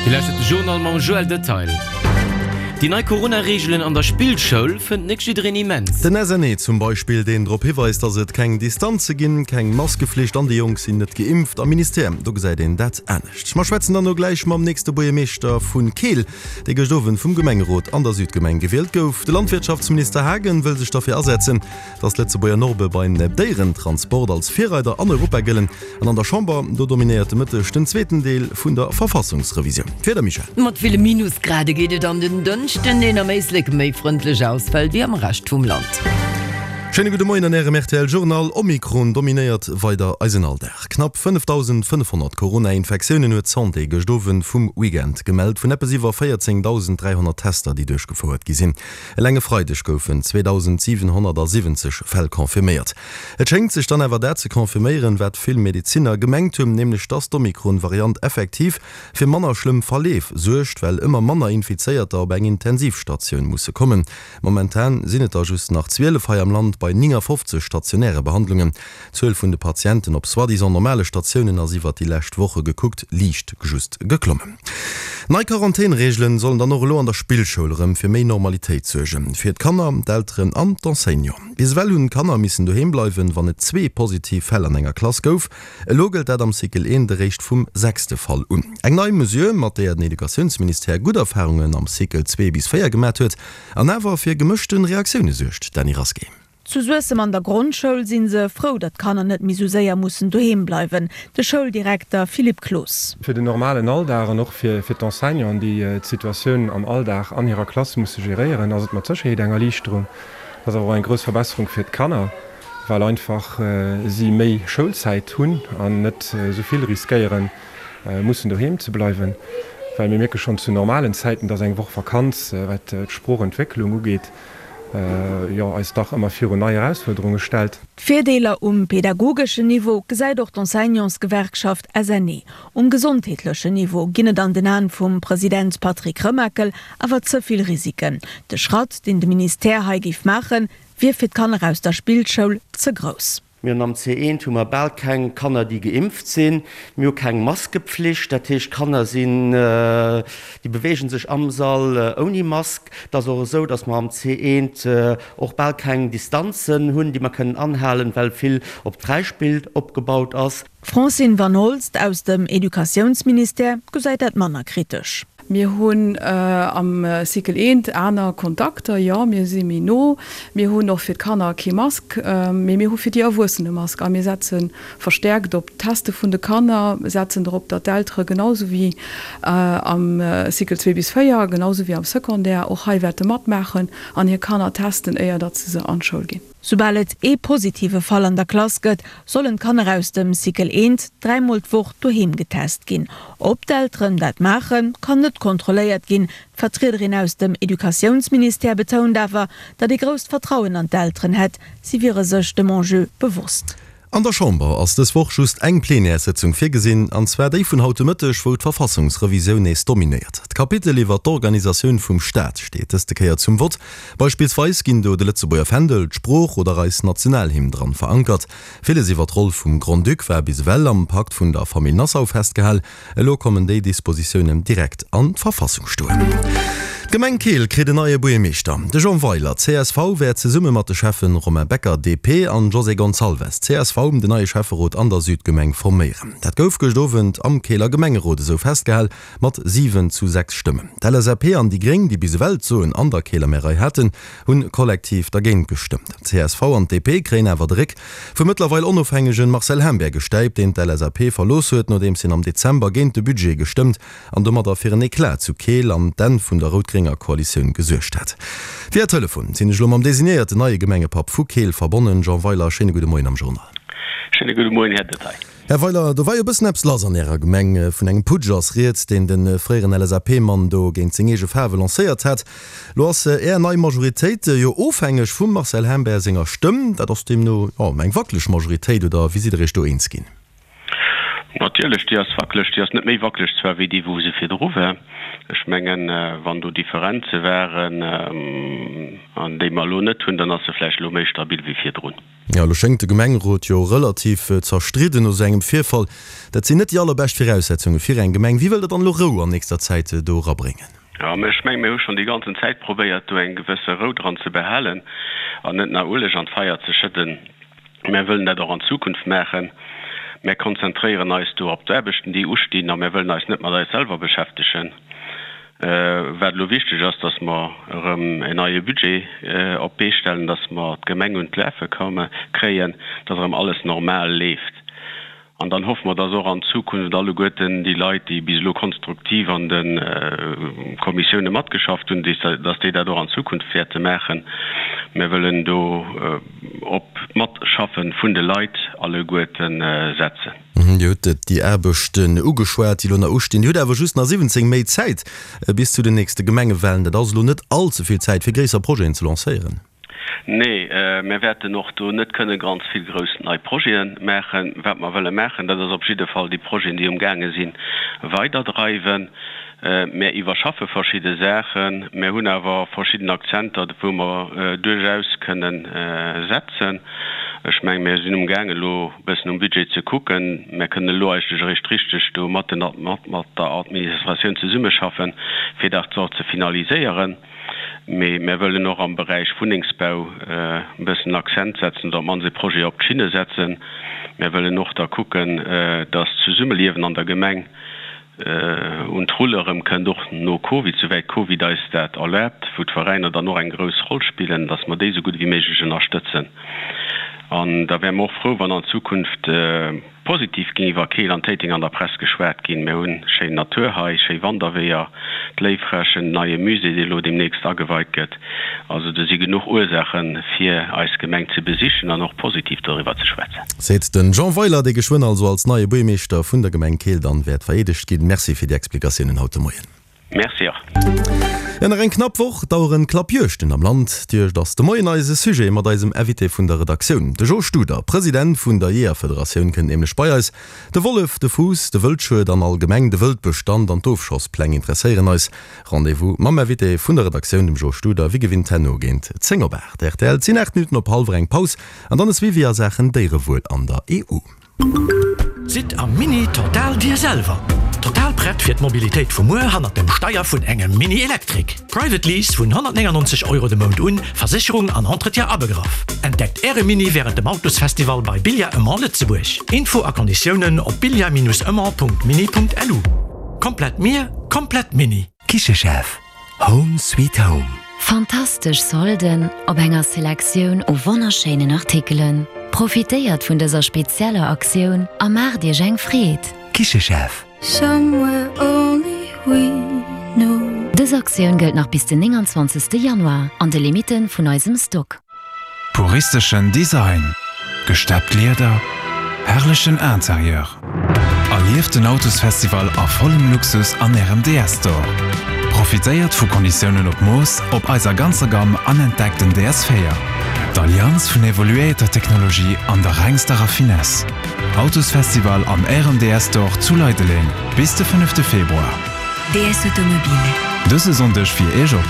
Dir lauschtert de Journal mam Joël Detail. Déi nei Corona-Reegelen an der Spillschoul fënnt net jiddereen immens. Den SNE zum Beispill, deen drop hiweist, datt et keng Distanze ginn, keng Maskeflicht an déi Jonk sinn net geimpft. Am Ministère, do gesäit een dat anescht. Mer schwätzen dann elo gläich mam nächste Buergermeeschter vu Keel, dee gëscht Owend vum Gemengerot an der Südgemeng gewielt gouf. De Landwirtschaftsminister Haagen wëll sech derfir asetzen, Dass d'Lëtzebuerger Norme beim Déierentransport als Virreider an Europa gëllen. An an der Chamber, do dominéiert de Mëtteg den zweeten Deel vun der Verfassungsrevisioun. D'Wieder, Michèle? Mat ville Minusgrade geet et an den Dënschden, deen am Éislek méi frëndlech ausfält wéi am Rescht vum Land. Schéine gudde Moien an Ärem rtl Journal. Omikron dominéiert weider eisen Alldag. Knapp 5.500 Corona-Infektiounen huet d'Santé gëscht Owend vum Weekend gemellt, vun eppes iwwer 14.300 Tester, déi duerchgefouert gi sinn. Eleng e Freideg goufen 2.770 Fäll confirméiert. Et schéngt sech dann awer dat ze confirméieren, wat vill Medezinner gemengt hunn, nämlech dass d'Omikron-Variant effektiv fir manner schlëmm Verleef suergt, well ëmmer manner Infizéierter op eng Intensivstatioun musse kommen. Momentan sinn et der just nach 12 hei am Land bei 59 stationäre Behandlungen. D'Zuel vun de Patienten op soi-disant normale Statiounen ass iwwert déi lescht Woche gekuckt liicht just geklommen. Nei Quarantän-Reegelen sollen dann och elo an der Spillschoul erëm fir méi Normalitéit suergen. Fir d'Kanner, d'Elteren an d'Enseignanten. Bis ewell hunn d'Kanner missen doheem bleiwen, wann et zwee positiv Fäll an enger Klass gouf. Elo gëllt dat am Cycle 1 eréischt vum sechste Fall un. Eng nei Mesure, mat deeër den Educatiounsministère gutt Erfarungen am Cycle 2 bis 4 gemat huet an awer fir gemëschte Reaktioune suergt. Dany Rasqué. Zu Suessem an der Grondschoul si se frou, datt d'Kanner net méi sou séier mussen doheem bleiwen. De Schouldirekter Philippe Cloos. Fir den normalen Alldag an och fir d'Enseignanten, déi d'Situatioun am Alldag an hirer Klass musse geréieren, ass et mat Sécherheet eng Erliichterung. Et ass awer och eng grouss Verbesserung fir d'Kanner, well einfach si méi Schoulzäit hunn an net esou vill riskéieren, mussen doheem ze bleiwen. Well mir mierke schonn zu normalen Zäiten, dass eng Woch Vakanz, wat d'Sproochentwécklung ugeet, jo eis dach ëmmer virun nei Erausfuerderunge stellt. D'Virdeeler um pedagogeschen Niveau gesäit och d'Enseignantsgewerkschaft SNE. Um gesondheetlechen Niveau ginn et an den Aen vum President Patrick Remakel awer ze vill Risiken. De Schratt, deen de Ministère hei géif maachen, wier fir d'Kanner aus der Spillschoul ze grouss. Mir hunn am C1 hu mer bal keng Kanner, déi geimpft sinn. Mir hu keng Maskepflicht, dat heescht, d'Kanner sinn, déi beweege sech am Sall ouni Mask. Et ass och esou, datt mer am C1 och bal keng Distanzen hunn, déi mer kënnen anhalen, well vill op d'Fräispill opgebaut ass. D'Francine Van Holst aus dem Educatiounsministère gesäit dat manner kritesch. Mir hunn am Cycle eent aner Kontakter, jo, mir si méi no. Mir hunn och fir d'Kanner kee Mask, mee mir hu fir déi Erwuessen e Mask. A mir setze verstäerkt op d'Teste vun de Kanner, setzen drop, datt d'Eltere genau sou wéi am Cycle 2 bis 4, genau sou wéi am Secondaire och hei wäerte matmaachen an hir Kanner testen, éier datt se se an d'Schoul ginn. Soubal et ee positive Fall an der Klass gëtt, sollen d'Kanner aus dem Cycle eent dräimol d'Woch doheem getest ginn. Ob d'Elteren dat maachen, kann net kontrolléiert ginn. D'Vertriederin aus dem Educatiounsministère betount awer, datt ee grousst Vertrauen an d'Elteren hätt, si wiere sech dem Enjeu bewosst. An der Chamber ass dës Woch just eng Plenärssëtzung virgesinn, an zwar déi vun haut de Mëtteg, wou d'Verfassungsrevisioun nees dominéiert. D'Kapitel iwwer d'Organisatioun vum Staat steet dëste Kéier zum Vott. Beispillsweis ginn do de Lëtzebuerger Fändel, d'Sprooch oder eis Nationalhymn dran verankert. Villes iwwer d'Roll vum Grand-Duc war bis ewell am Pakt vun der Famill Nassau festgehal. Elo kommen déi Dispositiounen direkt an d'Verfassung stoen. D'Gemeng Keel kritt en neie Buergermeeschter. De Jean Weiler, csv, wäert zesumme mat de Schäffen Romain Becker, DP, an José Gonçalves, csv, den neie Schäfferot an der Südgemeng forméieren. Dat gouf gëscht Owend am Keeler Gemengerot esou festgehal, mat 7 zu 6 Stëmmen. D'LSAP an déi Gréng, déi bis ewell d'Soen an der Keeler Märei haten, hunn kollektiv dergéint gestëmmt. D'CSV an d'DP kréien awer de Réck vum mëttlerweil onofhängegen Marcel Hembert gestäipt, deen d'LSAP verlooss huet, nodeems hien am Dezember géint de Budget gestëmmt an domadder fir en Eclat zu Keel an d'Enn vun der rout-grénger Koalitioun gesuergt hat. Via Telefon sinn ech elo mam designéierten neie Gemengepapp vu Keel verbonnen. Jean Weiler, schéine gudde Moien am Journal. Schéine gudde Moien, Här Detaille. Här Weiler, do war jo e bëssen eppes lass an Ärer Gemeng. Vun engem Putsch ass rieds, deen de fréieren LSAP-Mann do géint seng eege Faarwe lancéiert hat. Lo ass Är nei Majoritéit jo ofhängeg vum Marcel Humbert senger Stëmm. Dat ass deemno, jo, eng wackeleg Majoritéit, oder wéi sidd Der Iech do eens ginn? Ma. Natierlech, déi ass wackeleg. Déi ass net méi wackeleg zwar wéi déi, wou se virdru war. Ech mengen, wann do Differenze waren, an déi mer elo net hunn, dann ass se vläicht elo méi stabil wéi virdrun. Jo, elo schéngt de Gemengerot jo relativ zerstridden no esou engem Virfall. Dat sinn net déi allerbescht Viraussetzunge fir eng Gemeng. Wéi wëllt Der dann elo Rou an nächster Zäit do erabréngen? Jo, mä ech mengen, mir hu schonn déi ganzen Zäit probéiert, do eng gewësse Rou dran ze behalen an net nach Ueleg an d'Feier ze schëdden. Mär wëllen dat och an Zukunft maachen. Mär konzentréieren eis do op d'Aarbechten, déi ustinn, a mär wëllen eis net mat eis selwer beschäftegen. Wat elo wichteg ass, dass mer erëm en neie Budget op d'Bee stellen, dass mer d'Gemeng un d'Lafe kréien, dass erëm alles normal leeft. An dann hoffe mer, dass och an Zukunft alleguerten déi Leit, déi bis elo konstruktiv an de Kommissioune matgeschafft hunn, dass déi dat och an Zukunft wäerte maachen. Mir wëllen do op d'Matschaffe vun de Leit alleguerte setzen. Dir hutt déi Aarbechten ugeschwat, déi elo nach ustinn. Dir hutt awer just nach 17 Méint Zäit bis zu den nächste Gemengewahlen. Dat ass elo net all ze vill Zäit, fir gréisser Projeten ze lancéieren. Nee, mir wäerten och do net kënne ganz vill grouss nei Projete maachen. Wat mer wëlle maachen, dat ass op jidde Fall déi Projeten, déi umgaange sinn, weiderdreiwen. Mir iwwerschaffe verschidde Saachen. Mir hunn awer verschidden Akzenter, wou mer duerchaus kënne setzen. Ech mengen, mir sinn umgaangen, elo e bëssen um Budget ze kucken. Mir kënnen elo eigentlech eréischt richteg do mat der Administratioun zesummeschaffen, fir dat och ze finaliséieren. Mee mär wëllen och am Beräich Wunnengsbau e bëssen Accent setzen oder op d'mannst e Projet op d'Schinne setzen. Mär wëllen och da kucken, dass d'Zesummeliewen an der Gemeng un d'Rulle erëm kënnt, och no Covid, souwäit Covid eis dat erlaabt, wou d'Veräiner dann och eng grouss Roll spillen, dass mer déi esou gutt ewéi méiglech ënnerstëtzen. An da wäre mer och frou, wann an Zukunft, Positiv géing iwwer Keel an Téiteng an der Press geschwat ginn. Mir hunn schéin Natur hei, schéi Wanderweeër, d'Léiffrächen, den neie Musée, dee lo deemnächst ageweit gëtt. Also do si genuch Ursaachen, fir eis Gemeng ze besichen an och positiv doriwwer ze schwätzen. Seet den Jean Weiler, dee geschwënn also als neie Buergmeeschter vun der Gemeng Keel dann wäert vereedegt ginn. Merci fir déi Explikatiounen haut de Moien. Merci och. Jo, nach eng knapp Woch daueren d'Klappjuegten am Land. D'Juegd ass de Moien eise Sujet mat eisem Invité vun der Redaktioun. De Jo Studer, President vun der Jeeërfederatioun, kënnt nämlech bei eis. De Wollef, de Fuuss, de Wëldschued an allgemeng de Wëldbestand an d'Ofschosspläng interesséieren eis. Rendez-vous mam Invité vun der Redaktioun, dem Jo Studer, wéi gewinnt herno géint 10 op 8. Rtl, Et sinn 8 Minutten op hallwer eng Paus an dann e Suivi a Saachen Déierewuel an der EU. Sidd am Mini total dir selwer! Total prett fir d'Mobilitéit vu muer hannert dem Steier vun engem Mini Electric. Private Lease vun 199 Euro de Mount un, Versécherung an Entretien abegraff. Entdeckt Äre Mini wärend dem Autosfestival bei Billard Aymon Lëtzebuerg. Info a Konditiounen op billard-aymon.mini.lu. Komplett mir, komplett Mini. Kichechef, Home sweet home. Fantastesch Solden op enger Selektioun u wonnerschéinen Artikelen. Profitéiert vun dëser spezieller Aktioun a maacht iech eng Freed! Kichechef. Dës Aktioun gëllt nach bis den 29 Januar an de Limitte vun eisem Stock. Puristeschen Design, gesteppt Lieder, herrlechen Interieur. Erlieft den Autosfestival a vollem Luxus an Ärem DS Store. Profitéiert vu Konditiounen op Mooss op eiser ganzer Gamm an entdeckt den DS 4, d'Allianz vun evoluéierter Technologie an der rengster Raffinesse. Autosfestival an Ärem DS Store zu Leideleng bis de fënnefte Februar. DS Automobile. Dëse Sonndeg fir Iech op.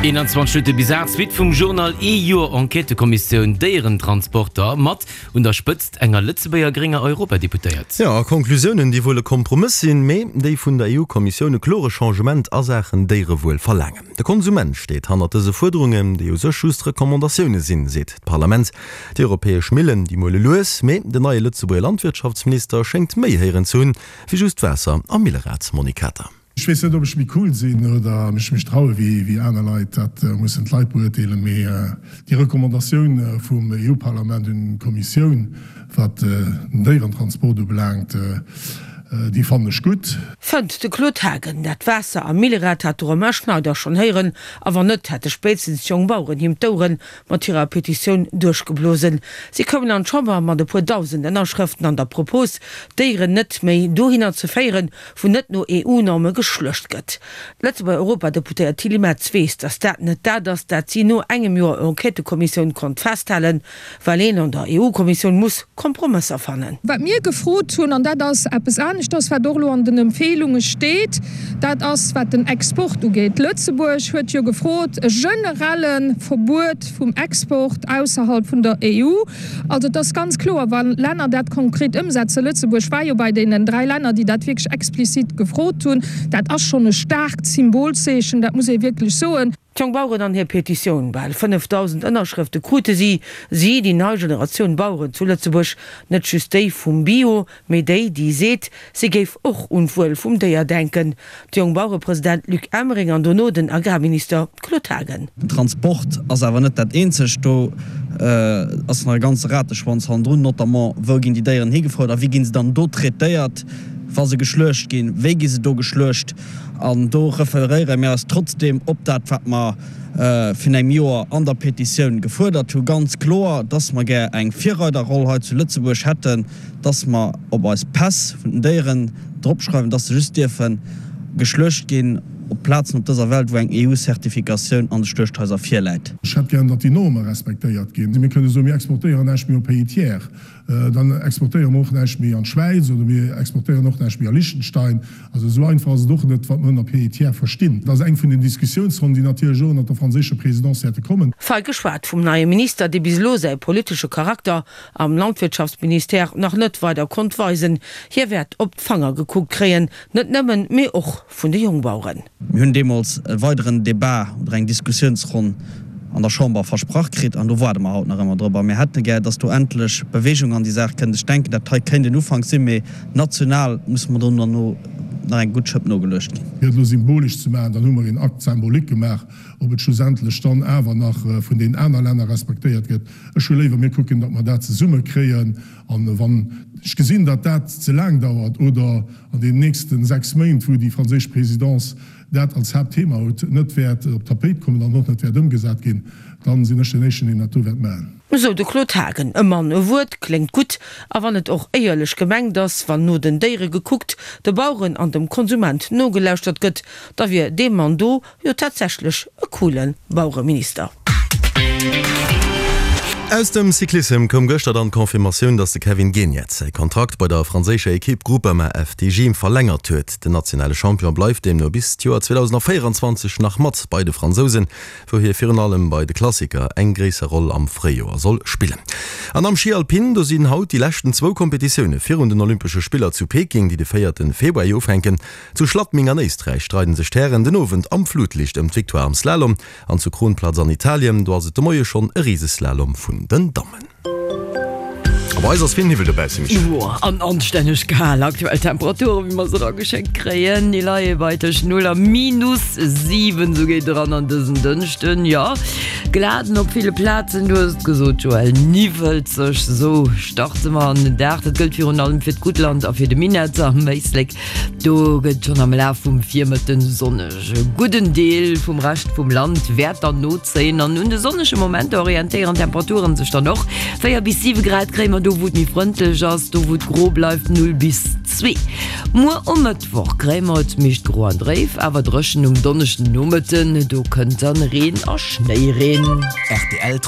21 Minutte bis 8, Suite vum Journal, Ee Joer Enquêtëkommissioun Déierentransporter mat un der Spëtzt enger Lëtzebuerger grénger Europadeputéiert. Jo, a Conclusiounen, déi wuel e Kompromëss sinn, mee déi vun der EU-Kommissioun e klore Changement a Saachen Déierewuel verlaangen. De Konsument steet hannert dëse Fuerderungen, déi u sech just Recommandatioune sinn, seet d'Parlament. Déi europäesch Millen, déi muele lues, mee den neie Lëtzebuerger Landwirtschaftsminister schéngt méi héieren ze hunn, wéi just Waasser am Millerad, Monique Kater. Ech weess net, ob ech méi cool sinn oder mech méi traue wéi aner Leit, dat mussen d'Leit beurteelen. Mee déi Recommandatioun vum EU-Parlament un d'Kommissioun, wat den Déierentransport ubelaangt. Déi fannen ech gutt. Fënnt de Claude Haagen. Dat Waasser am Millerad hat de Romain Schneider schonn héieren, a wann net, hätte spéitstens d'jonk Baueren him d'Oueren mat hirer Petitioun duerchgeblosen. Si koumen an d'Chamber mat e puer 1.000 Ënnerschrëften an der Propos, d'Déieren net méi dohinner ze féieren, wou net no EU-Norme geschluecht gëtt. D'Lëtzebuerger Europadeputéiert Tilly Metz weess, datt dat net dat ass, dat si no engem Joer Enquêtëkommissioun konnt festhalen. Well een an der EU-Kommissioun muss Kompromësser fannen. Wat mir gefrot hunn, an dat ass eppes aneschters, wat och elo an den Empfehlunge steet, dat ass wat den Export ugeet. Lëtzebuerg huet jo gefrot e generelle Verbuet vum Export ausserhalb vun der EU. Also et ass ganz kloer, wa Länner dat konkret ëmsetzen, Lëtzebuerg war jo bei deenen dräi Länner, déi dat wierklech explizit gefrot hunn, dat ass schonn e staarkt Symbolzeechen, dat muss ee wierklech soen. D'Jonk Baueren an hir Petitioun, bal 5.000 Ënnerschrëfte krute si, si, déi nei Generatioun Baueren zu Lëtzebuerg, net just déi vum Bio, mee déi, déi seet, si géif och un d'Wuel vum Déier denken. De Jongbauerepresident Luc Emering an dono den Agrarminister Claude Haagen. Den Transport ass awer net dat eenzegt. Do ass nach e ganze Rateschwanz hannendrun, notamment, wou ginn déi Déieren higefouert a wéi gi se dann do traitéiert, wa se geschluecht ginn, wéi gi se do geschluecht? An do referéiere mir eis trotzdeem op dat, wat mer virun engem Joer an der Petitioun gefuerdert hu ganz kloer, dass mer gär eng Virreiderroll hei zu Lëtzebuerg hätten, dass mer op eis Päss vun den Déieren dropschreiwen, dass se just dierfe geschluecht ginn op Plazen op dëser Welt, wou eng EU-Zertifikatioun an de Schluechthaiser virläit. Ech hätt gären, datt déi Norme respektéiert ginn. Mir kënne soen, mir exportéieren näischt méi op Pays tiers. Dann exportéiere mer och näischt méi an d'Schwäiz oder mir exportéieren och näischt méi a Liechtenstein. Also esou einfach ass et och net, wat mer ënner Pays tiers verstinn. Dat ass eng vun den Diskussiounsronnen, déi natierlech och ënnert der franséischer Présidence wäerte kommen. Fei geschwat vum neie Minister, dee bis elo säi politesche Charakter am Landwirtschaftsministère nach net weider konnt weisen. Hie wäert op d'Fanger gekuckt kréien, net nëmmen, mee och vun de Jongbaueren. Mir hunn deemools e weideren Débat oder eng Diskussionsronn an der Chamber versprach kritt an do waarde mer haut nach ëmmer drop. A mir hätte gär, dass do endlech Bewegung an déi Saach kënnt. Ech denken, dat hei kéint en Ufank sinn, mee national musse mer do derno nach eng gutt Schëpp nogeluecht ginn. Fir et elo symbolesch ze maachen, dann hu mer een Acte symbolique gemaach. Ob et schlussendlech dann awer nach vun deenen aner Länner respektéiert gëtt, ech hu léiwer, mir kucken, datt mer dat zesumme kréien. A wann ech gesinn, datt dat ze laang dauert oder an deenen nächste 6 Méint, wou déi franséisch Présidence dat als Haaptthema huet, net wäert op d'Tapéit kommen an och net wäert ëmgesat ginn, da sinn ech deen Éischten, deen dat do wäert maachen. Esou de Claude Haagen. E Mann, e Wuert, kléngt gutt. A wann et och éierlech gemengt ass, wann no den Déiere gekuckt, de Baueren an dem Konsument nogelauschtert gëtt, da wier dee Mann do Jo tatsächlech e coole Bauereminister. Aus dem Cyclissem koum gëschter dann d'Confirmatioun, dass de Kevin Geniets säi Kontrakt bei der franséischer Ekipp Groupama FDJ verlängert huet. Den nationale Champion bleift deemno bis d'Joer 2024 nach mat bei de Fransousen, wou hie virun allem bei de Klassiker eng gréisser Roll am Fréijoer soll spillen. An am Schi Alpin, do sinn haut déi leschten zwou Kompetitioune virun den Olympesche Spiller zu Peking, déi de véierte Februar ufänken. Zu Schladming an Éisträich streiden sech d'Hären den Owend am Flutlicht ëm d'Victoire am Slalom an zu Kronplatz an Italien, do ass et de Moie schonn e Riseslalom vun den Dammen. A bei eis ass vill Niwwel dobausse, Michèle. Jo, an anstänneg kal. Aktuell Temperaturen, wéi mer se erageschéckt kréien, déi leie bei tëscht 0 a minus 7, esou geet eran an dësen Dënschden. Jo, glat op ville Plazen, du hues et gesot, Joël, niwwelzeg, esou starte mer an den Dag. Dat gëllt virun allem fir d'Guttland a fir de Minett am Éislek. Do gëtt schonn am Laf vum Virmëtten sonneg. E gudden Deel vum Rescht vum Land wäert dann nozéien an un de sonnege Momenter orientéieren d'Temperaturen sech dann och. 4 bis 7 Grad kréie mer do, wou et méi frëndlech ass, do wou et gro bleift 0 bis 2. Muer um Mëttwoch kréie mer et meescht gro an dréif, awer dréchen um Donneschdennomëtten. Do kënnt dann Reen a Schnéireen. Rtl.